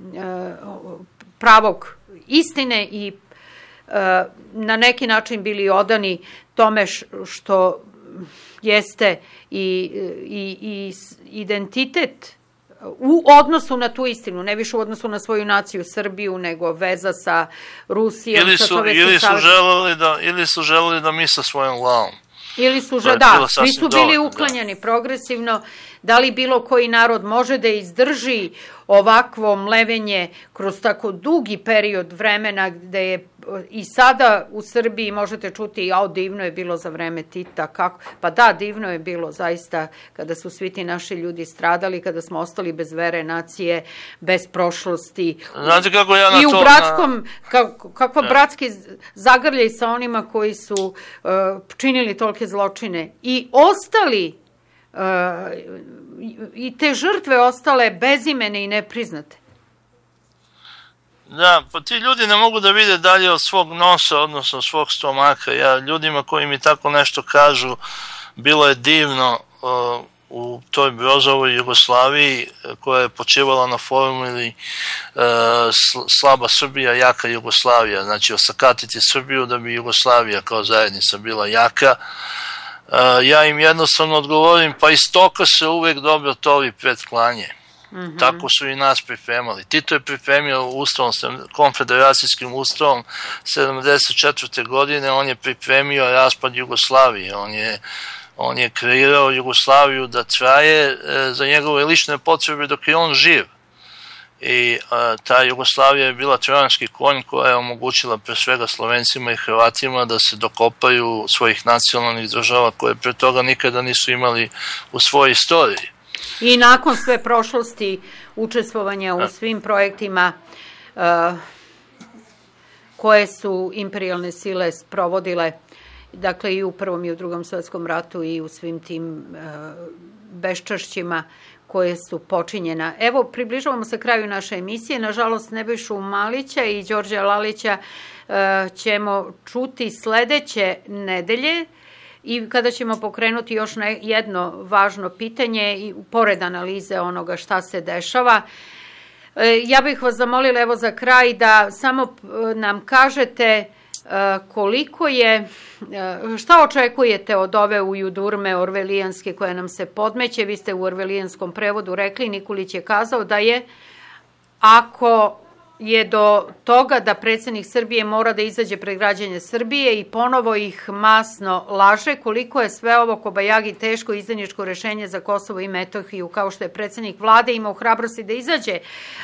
S1: pravog istine i na neki način bili odani tome što jeste i identitet u odnosu na tu istinu, ne više u odnosu na svoju naciju Srbiju, nego veza sa Rusijom, sa Sovjetskim savezom.
S2: Ili su želeli da misle svojom glavom.
S1: Ili su, da, svi su bili uklanjani progresivno. Da li bilo koji narod može da izdrži ovakvo mlevenje kroz tako dugi period vremena gde je i sada u Srbiji možete čuti, divno je bilo za vreme Tita, kako? Pa da, divno je bilo zaista kada su svi ti naši ljudi stradali, kada smo ostali bez vere nacije, bez prošlosti.
S2: Znate kako ja na to...
S1: I u bratskom, kakva bratski zagrljaj sa onima koji su činili tolike zločine i ostali i te žrtve ostale bezimene i nepriznate.
S2: Da, pa ti ljudi ne mogu da vide dalje od svog nosa, odnosno svog stomaka. Ja ljudima koji mi tako nešto kažu, bilo je divno u toj Brozovoj Jugoslaviji koja je počivala na formuli slaba Srbija, jaka Jugoslavija. Znači osakatiti Srbiju da bi Jugoslavija kao zajednica bila jaka. Ja im jednostavno odgovorim, pa iz toka se uvek dobro tovi pred klanje. Tako su i nas pripremali. Tito je pripremio ustavom, konfederacijskim ustavom 1974. godine, on je pripremio raspad Jugoslavije, on je kreirao Jugoslaviju da traje za njegove lične potrebe dok je on živ. I ta Jugoslavija je bila trojanski konj koja je omogućila pre svega Slovencima i Hrvatima da se dokopaju svojih nacionalnih država koje pre toga nikada nisu imali u svojoj istoriji.
S1: I nakon sve prošlosti učestvovanja u svim projektima koje su imperijalne sile sprovodile, dakle i u Prvom i u Drugom svetskom ratu i u svim tim beščašćima koje su počinjena. Evo, približavamo se kraju naše emisije. Nažalost, Nebojšu Malića i Đorđa Lalića ćemo čuti sledeće nedelje i kada ćemo pokrenuti još jedno važno pitanje i pored analize onoga šta se dešava. Ja bih vas zamolila evo za kraj da samo nam kažete koliko je, šta očekujete od ove ujudurme orvelijanske koja nam se podmeće. Vi ste u orvelijanskom prevodu rekli, Nikolić je kazao da je, ako je do toga da predsjednik Srbije mora da izađe pred građane Srbije i ponovo ih masno laže, koliko je sve ovo kobajagi teško izdajničko rešenje za Kosovo i Metohiju, kao što je predsjednik vlade imao hrabrosti da izađe,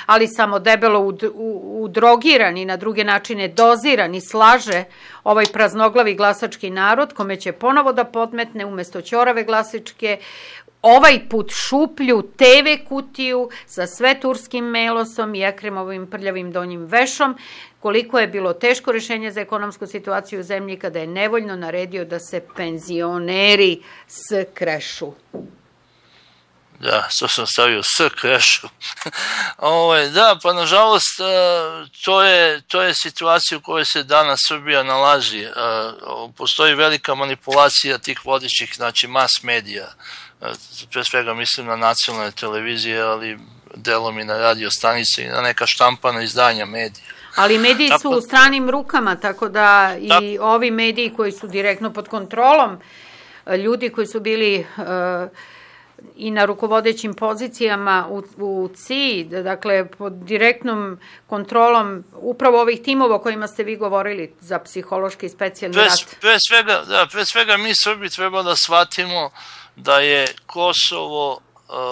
S1: ali samo debelo udrogiran i na druge načine doziran i slaže ovaj praznoglavi glasački narod, kome će ponovo da podmetne umesto ćorave glasačke ovaj put šuplju TV kutiju sa sve turskim melosom i Ekremovim prljavim donjim vešom, koliko je bilo teško rešenje za ekonomsku situaciju u zemlji kada je nevoljno naredio da se penzioneri skrešu.
S2: Da, što sam stavio skrešu. Da, pa nažalost to je situacija u kojoj se danas Srbija nalazi. Postoji velika manipulacija tih vodećih, znači mas medija. Pre svega mislim na nacionalne televizije, ali delom i na radio stanice i na neka štampana izdanja medija.
S1: Ali mediji su u stranim rukama, tako da i ovi mediji koji su direktno pod kontrolom, ljudi koji su bili i na rukovodećim pozicijama u CIA, dakle pod direktnom kontrolom upravo ovih timova o kojima ste vi govorili za psihološki specijalni rat.
S2: Pre svega mi Srbi treba da shvatimo da je Kosovo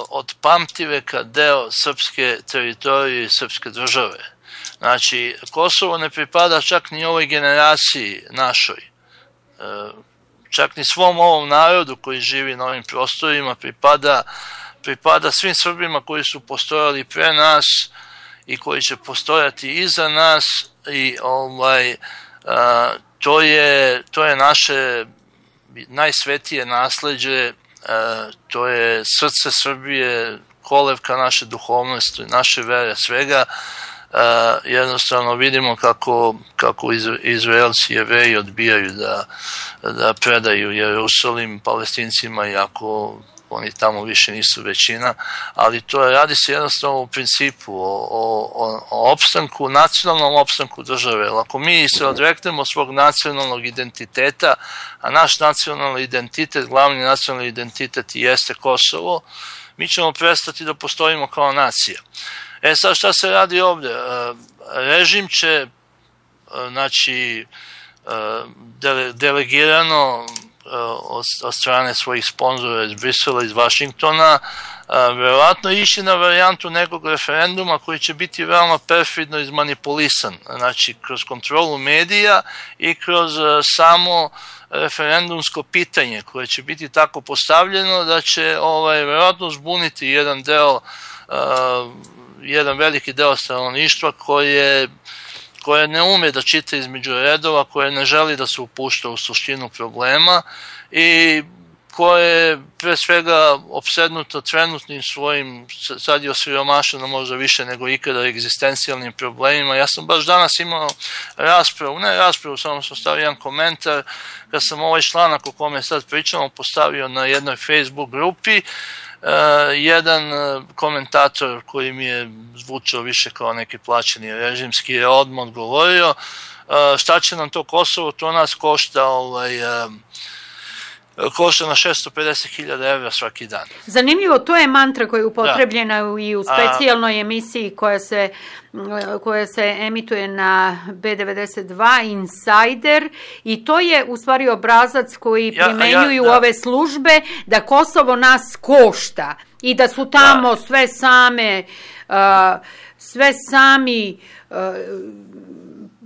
S2: od pamtiveka deo srpske teritorije i srpske države. Znači, Kosovo ne pripada čak ni ovoj generaciji našoj, čak ni svom ovom narodu koji živi na ovim prostorima, pripada svim Srbima koji su postojali pre nas i koji će postojati iza nas i to je naše najsvetije nasleđe, to je srce Srbije, kolevka naše duhovnosti, naše vere, svega. Jednostavno vidimo kako Izraelci, Jevreji odbijaju da predaju Jerusalim Palestincima, iako oni tamo više nisu većina, ali radi se jednostavno u principu o opstanku, nacionalnom opstanku države. Ako mi se odreknemo svog nacionalnog identiteta, a naš nacionalni identitet, glavni nacionalni identitet jeste Kosovo, mi ćemo prestati da postojimo kao nacija. Sad šta se radi ovdje? Režim će, znači, delegirano od strane svojih sponzora iz Brisela, iz Vašingtona, verovatno ići na varijantu nekog referenduma koji će biti veoma perfidno izmanipulisan, znači kroz kontrolu medija i kroz samo referendumsko pitanje koje će biti tako postavljeno da će verovatno zbuniti jedan veliki deo stanovništva koje ne ume da čita između redova, koje ne želi da se upušta u suštinu problema i koje je pre svega opsednuto trenutnim svojim, sad je osiromašeno možda više nego ikada, egzistencijalnim problemima. Ja sam baš danas imao raspravu, samo sam stavio jedan komentar, kad sam ovaj članak o kome sad pričamo postavio na jednoj Facebook grupi, jedan komentator koji mi je zvučao više kao neki plaćeni režimski je odmah odgovorio šta će nam to Kosovo, to nas košta na 650.000 evra svaki dan.
S1: Zanimljivo, to je mantra koja je upotrebljena i u specijalnoj emisiji koja se emituje na B92 Insider, i to je u stvari obrazac koji primenjuju ove službe, da Kosovo nas košta i da su tamo sve sami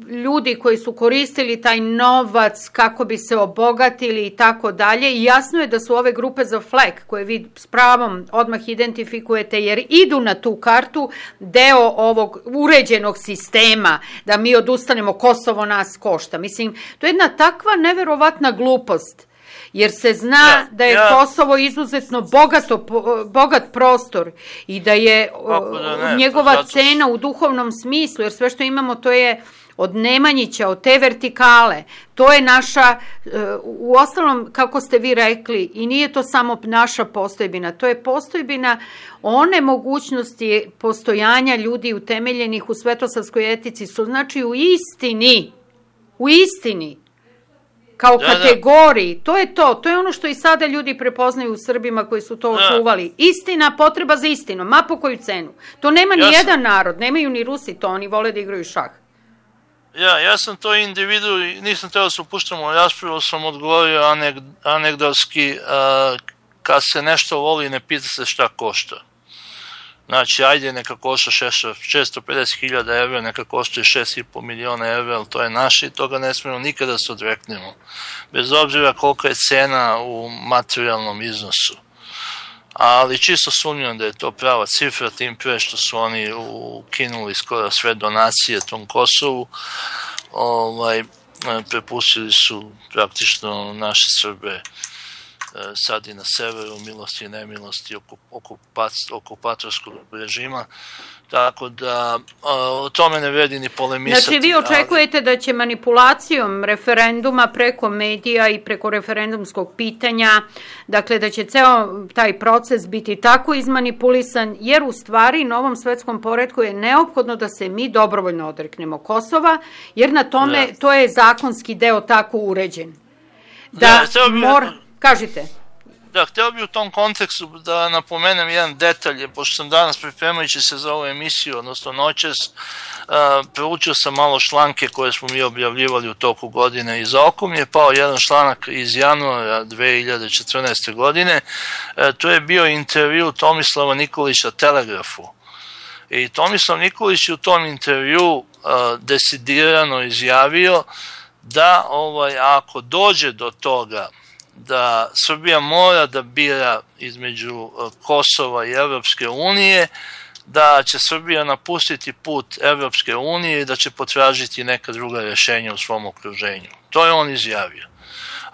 S1: ljudi koji su koristili taj novac kako bi se obogatili i tako dalje. I jasno je da su ove grupe za flag, koje vi s pravom odmah identifikujete jer idu na tu kartu, deo ovog uređenog sistema da mi odustanemo, Kosovo nas košta. Mislim, to je jedna takva neverovatna glupost, jer se zna da je Kosovo izuzetno bogat prostor i da je njegova cena u duhovnom smislu, jer sve što imamo to je od Nemanjića, od te vertikale, to je naša, u ostalom, kako ste vi rekli, i nije to samo naša postojbina, to je postojbina one mogućnosti postojanja ljudi utemeljenih u svetosavskoj etici, su znači u istini, kao kategoriji, to je ono što i sada ljudi prepoznaju u Srbima koji su to očuvali. Istina, potreba za istinom, ma po koju cenu. To nema ni jedan narod, nemaju ni Rusi to, oni vole da igraju šah.
S2: Ja sam to individu i nisam trebao da se upuštam u raspravu, sam odgovorio anegdotski, kad se nešto voli ne pita se šta košta. Znači, ajde, neka košta 650.000 evra, neka košta 6,5 miliona evra, ali to je naše i toga ne smemo nikada se odreknemo. Bez obzira kolika je cena u materijalnom iznosu. Ali čisto sumnjam da je to prava cifra, tim pre što su oni ukinuli skoro sve donacije tom Kosovu, prepustili su praktično naše Srbe sad i na severu, milosti i nemilosti okupatorskog režima, tako da o tome ne vredi ni polemisati.
S1: Znači vi očekujete da će manipulacijom referenduma preko medija i preko referendumskog pitanja, dakle da će ceo taj proces biti tako izmanipulisan, jer u stvari na ovom svetskom poretku je neophodno da se mi dobrovoljno odreknemo Kosova, jer na tome to je zakonski deo tako uređen. Kažite.
S2: Da, hteo bih u tom kontekstu da napomenem jedan detalj, pošto sam danas pripremajući se za ovu emisiju, odnosno noćas, proučio sam malo članke koje smo mi objavljivali u toku godine i za oko mi je pao jedan članak iz januara 2014. godine, to je bio intervju Tomislava Nikolića Telegrafu. I Tomislav Nikolić je u tom intervju decidirano izjavio da ako dođe do toga da Srbija mora da bira između Kosova i Evropske unije, da će Srbija napustiti put Evropske unije i da će potražiti neka druga rješenja u svom okruženju. To je on izjavio.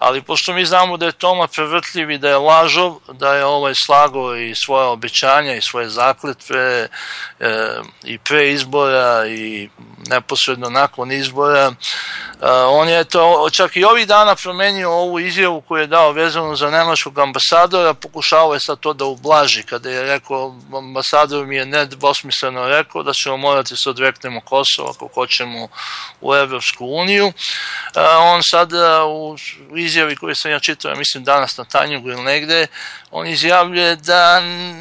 S2: ali pošto mi znamo da je Toma prevrtljiv i da je lažov, da je slago i svoje obećanja i svoje zakletve i pre izbora i neposredno nakon izbora, on je to čak i ovih dana promenio ovu izjavu koju je dao vezano za nemačkog ambasadora, pokušao je sad to da ublaži, kada je rekao, ambasador mi je nedvosmisleno rekao da ćemo morati se odreknemo Kosova ako hoćemo u Evropsku uniju. On sad u izjavi koju sam ja čitao, mislim danas na Tanjugu ili negde, on izjavljuje da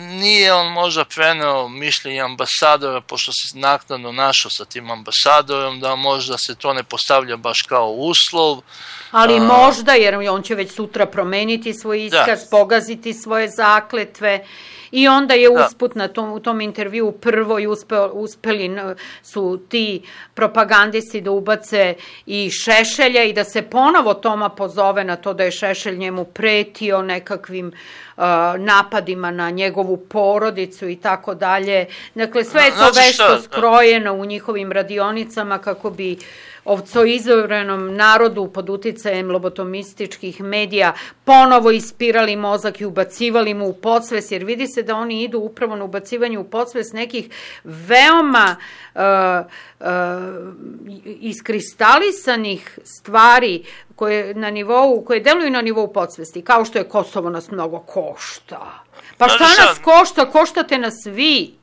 S2: nije on možda preneo mišljenje ambasadora, pošto se naknadno našao sa tim ambasadorom, da možda se to ne postavlja baš kao uslov.
S1: Ali možda, jer on će već sutra promeniti svoj iskaz, pogaziti svoje zakletve. I onda je usput u tom intervju prvo uspeli su ti propagandisti da ubace i Šešelja i da se ponovo Toma pozove na to da je Šešelj njemu pretio nekakvim napadima na njegovu porodicu i tako dalje. Dakle, sve je to vešto skrojeno u njihovim radionicama kako bi ovcoizovrenom narodu pod uticajem lobotomističkih medija ponovo ispirali mozak i ubacivali mu u podsvest, jer vidi se da oni idu upravo na ubacivanje u podsvest nekih veoma iskristalisanih stvari koje deluju na nivou podsvesti, kao što je Kosovo nas mnogo košta. Pa šta nas košta? Koštate nas vi.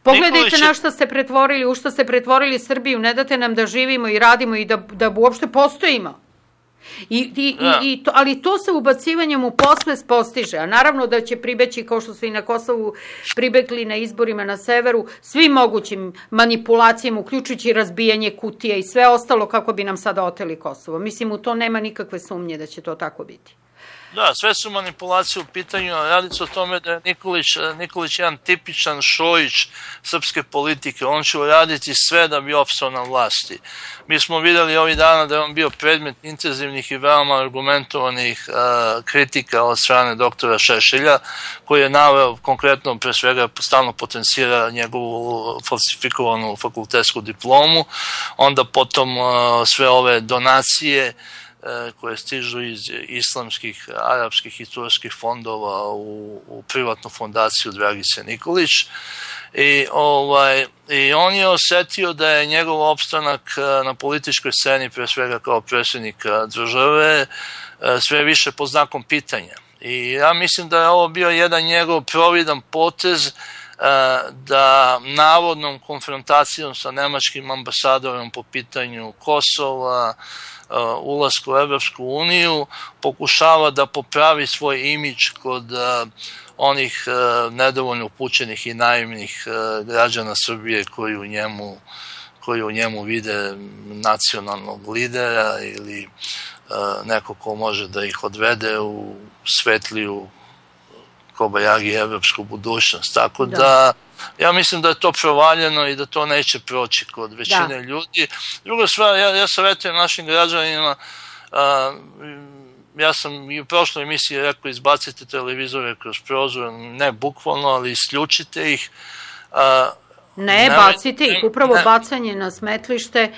S1: Pogledajte na što ste pretvorili, u što ste pretvorili Srbiju, ne date nam da živimo i radimo i da uopšte postojimo. Ali to se ubacivanjem u podsvest postiže, a naravno da će pribeći, kao što su i na Kosovu pribegli na izborima na severu, svim mogućim manipulacijama, uključujući razbijanje kutija i sve ostalo kako bi nam sada oteli Kosovo. Mislim, u to nema nikakve sumnje da će to tako biti.
S2: Da, sve su manipulacije u pitanju, radi se o tome da je Nikolić jedan tipičan Šojić srpske politike, on će uraditi sve da bi opstao na vlasti. Mi smo videli ovih dana da je on bio predmet intenzivnih i veoma argumentovanih kritika od strane doktora Šešelja, koji je naveo konkretno, pre svega, stalno potencira njegovu falsifikovanu fakultetsku diplomu, onda potom sve ove donacije koje stižu iz islamskih, arapskih i turskih fondova u privatnu fondaciju Dragice Nikolić. I on je osetio da je njegov opstanak na političkoj sceni, pre svega kao predsjednika države, sve više pod znakom pitanja. I ja mislim da je ovo bio jedan njegov providan potez da navodnom konfrontacijom sa nemačkim ambasadorom po pitanju Kosova, ulasku u Evropsku uniju, pokušava da popravi svoj imidž kod onih nedovoljno upućenih i naivnih građana Srbije koji u njemu vide nacionalnog lidera ili neko ko može da ih odvede u svetliju kobajagi evropsku budućnost. Tako da ja mislim da je to provaljeno i da to neće proći kod većine ljudi. Druga stvar, ja savjetujem našim građanima, ja sam i u prošloj emisiji rekao izbacite televizore kroz prozor, ne bukvalno, ali isključite ih.
S1: Ne, bacite ih, upravo bacanje na smetlište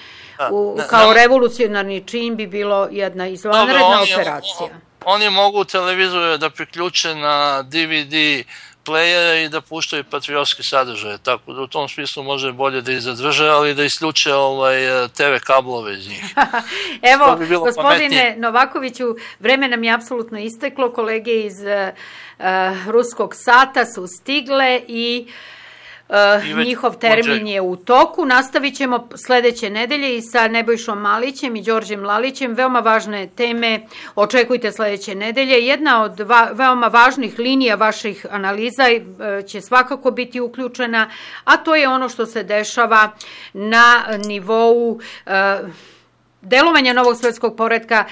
S1: kao revolucionarni čin bi bilo jedna izvanredna operacija.
S2: Oni mogu televizore da priključe na DVD playere i da puštaju patriotski sadržaje, tako da u tom smislu može bolje da ih zadrže, ali da isključe TV kablove iz njih.
S1: Evo, gospodine Novakoviću, vreme nam je apsolutno isteklo, kolege iz ruskog sata su stigle i njihov termin je u toku. Nastavit ćemo sledeće nedelje i sa Nebojšom Malićem i Đorđem Lalićem. Veoma važne teme očekujte sledeće nedelje. Jedna od veoma važnih linija vaših analiza će svakako biti uključena, a to je ono što se dešava na nivou delovanja novog svetskog poretka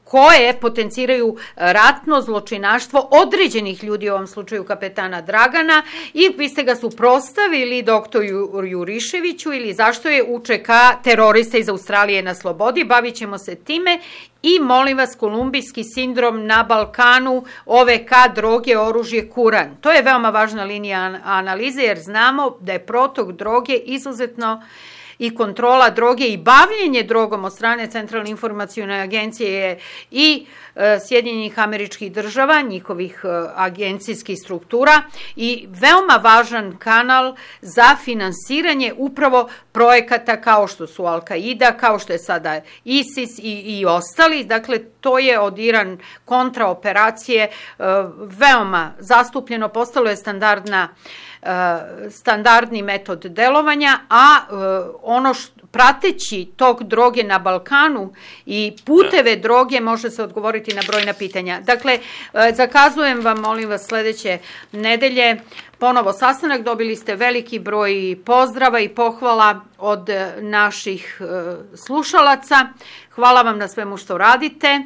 S1: koje potenciraju ratno zločinaštvo određenih ljudi, u ovom slučaju kapetana Dragana, i vi ste ga suprotstavili doktoru Juriševiću ili zašto je UČK terorista iz Australije na slobodi. Bavit ćemo se time i molim vas, kolumbijski sindrom na Balkanu, OVK, droge, oružje, Kuran. To je veoma važna linija analize jer znamo da je protok droge izuzetno i kontrola droge i bavljenje drogom od strane Centralne informacione agencije i Sjedinjenih Američkih Država, njihovih agencijskih struktura i veoma važan kanal za finansiranje upravo projekata kao što su Al-Qaida, kao što je sada ISIS i ostali. Dakle, to je od Iran kontraoperacije veoma zastupljeno, postalo je standardni metod delovanja, a prateći tok droge na Balkanu i puteve droge može se odgovoriti na brojna pitanja. Dakle, zakazujem vam, molim vas, sledeće nedelje ponovo sastanak. Dobili ste veliki broj pozdrava i pohvala od naših slušalaca. Hvala vam na svemu što radite.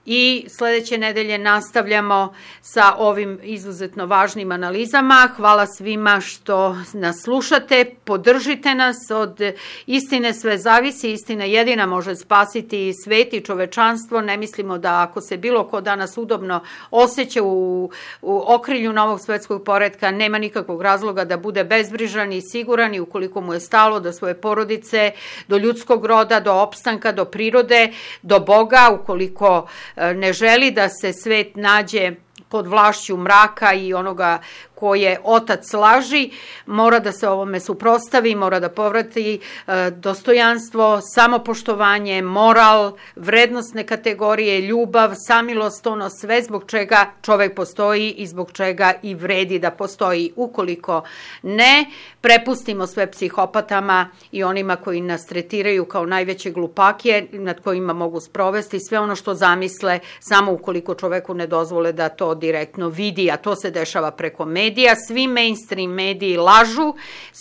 S1: I sledeće nedelje nastavljamo sa ovim izuzetno važnim analizama. Hvala svima što nas slušate, podržite nas, od istine sve zavisi, istina jedina može spasiti svet i čovečanstvo. Ne mislimo da ako se bilo ko danas udobno osjeća u okrilju novog svetskog poretka, nema nikakvog razloga da bude bezbrižan i siguran, i ukoliko mu je stalo do svoje porodice, do ljudskog roda, do opstanka, do prirode, do Boga, ukoliko ne želi da se svet nađe pod vlašću mraka i onoga ko je otac laži, mora da se ovome suprotstavi, mora da povrati dostojanstvo, samopoštovanje, moral, vrednostne kategorije, ljubav, samilost, ono sve zbog čega čovek postoji i zbog čega i vredi da postoji. Ukoliko ne, prepustimo sve psihopatama i onima koji nas tretiraju kao najveće glupake nad kojima mogu sprovesti sve ono što zamisle, samo ukoliko čoveku ne dozvole da to direktno vidi, a to se dešava preko medija. Svi mainstream mediji lažu,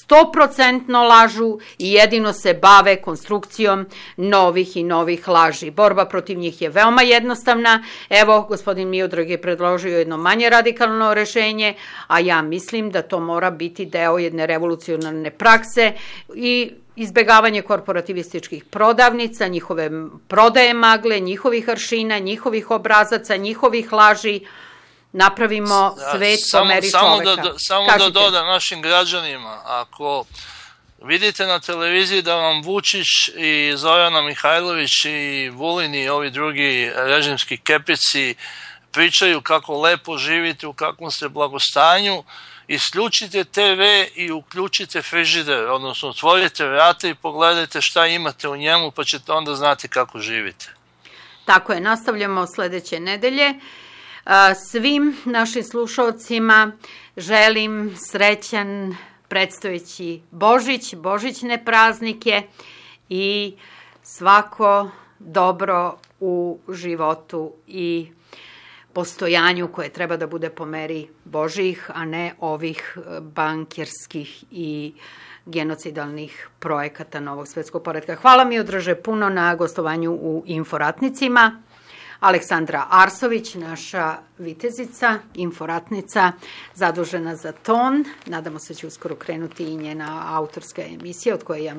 S1: 100% lažu i jedino se bave konstrukcijom novih i novih laži. Borba protiv njih je veoma jednostavna. Evo, gospodin Miodrag je predložio jedno manje radikalno rešenje, a ja mislim da to mora biti deo jedne revolucionarne prakse i izbegavanje korporativističkih prodavnica, njihove prodaje magle, njihovih aršina, njihovih obrazaca, njihovih laži. Napravimo svet po meri čoveka.
S2: Samo da dodam našim građanima, ako vidite na televiziji da vam Vučić i Zorana Mihajlović i Vulin i ovi drugi režimski kepici pričaju kako lepo živite, u kakvom ste blagostanju, isključite TV i uključite frižider, odnosno otvorite vrata i pogledajte šta imate u njemu, pa ćete onda znati kako živite.
S1: Tako je, nastavljamo sledeće nedelje. Svim našim slušalcima želim srećan predstojeći Božić, božićne praznike i svako dobro u životu i postojanju koje treba da bude po meri Božjih, a ne ovih bankerskih i genocidalnih projekata novog svetskog poretka. Hvala mi, Odraže, puno na gostovanju u Inforatnicima. Aleksandra Arsović, naša vitezica, inforatnica, zadužena za ton. Nadamo se da će uskoro krenuti i njena autorska emisija od koje ja mnogo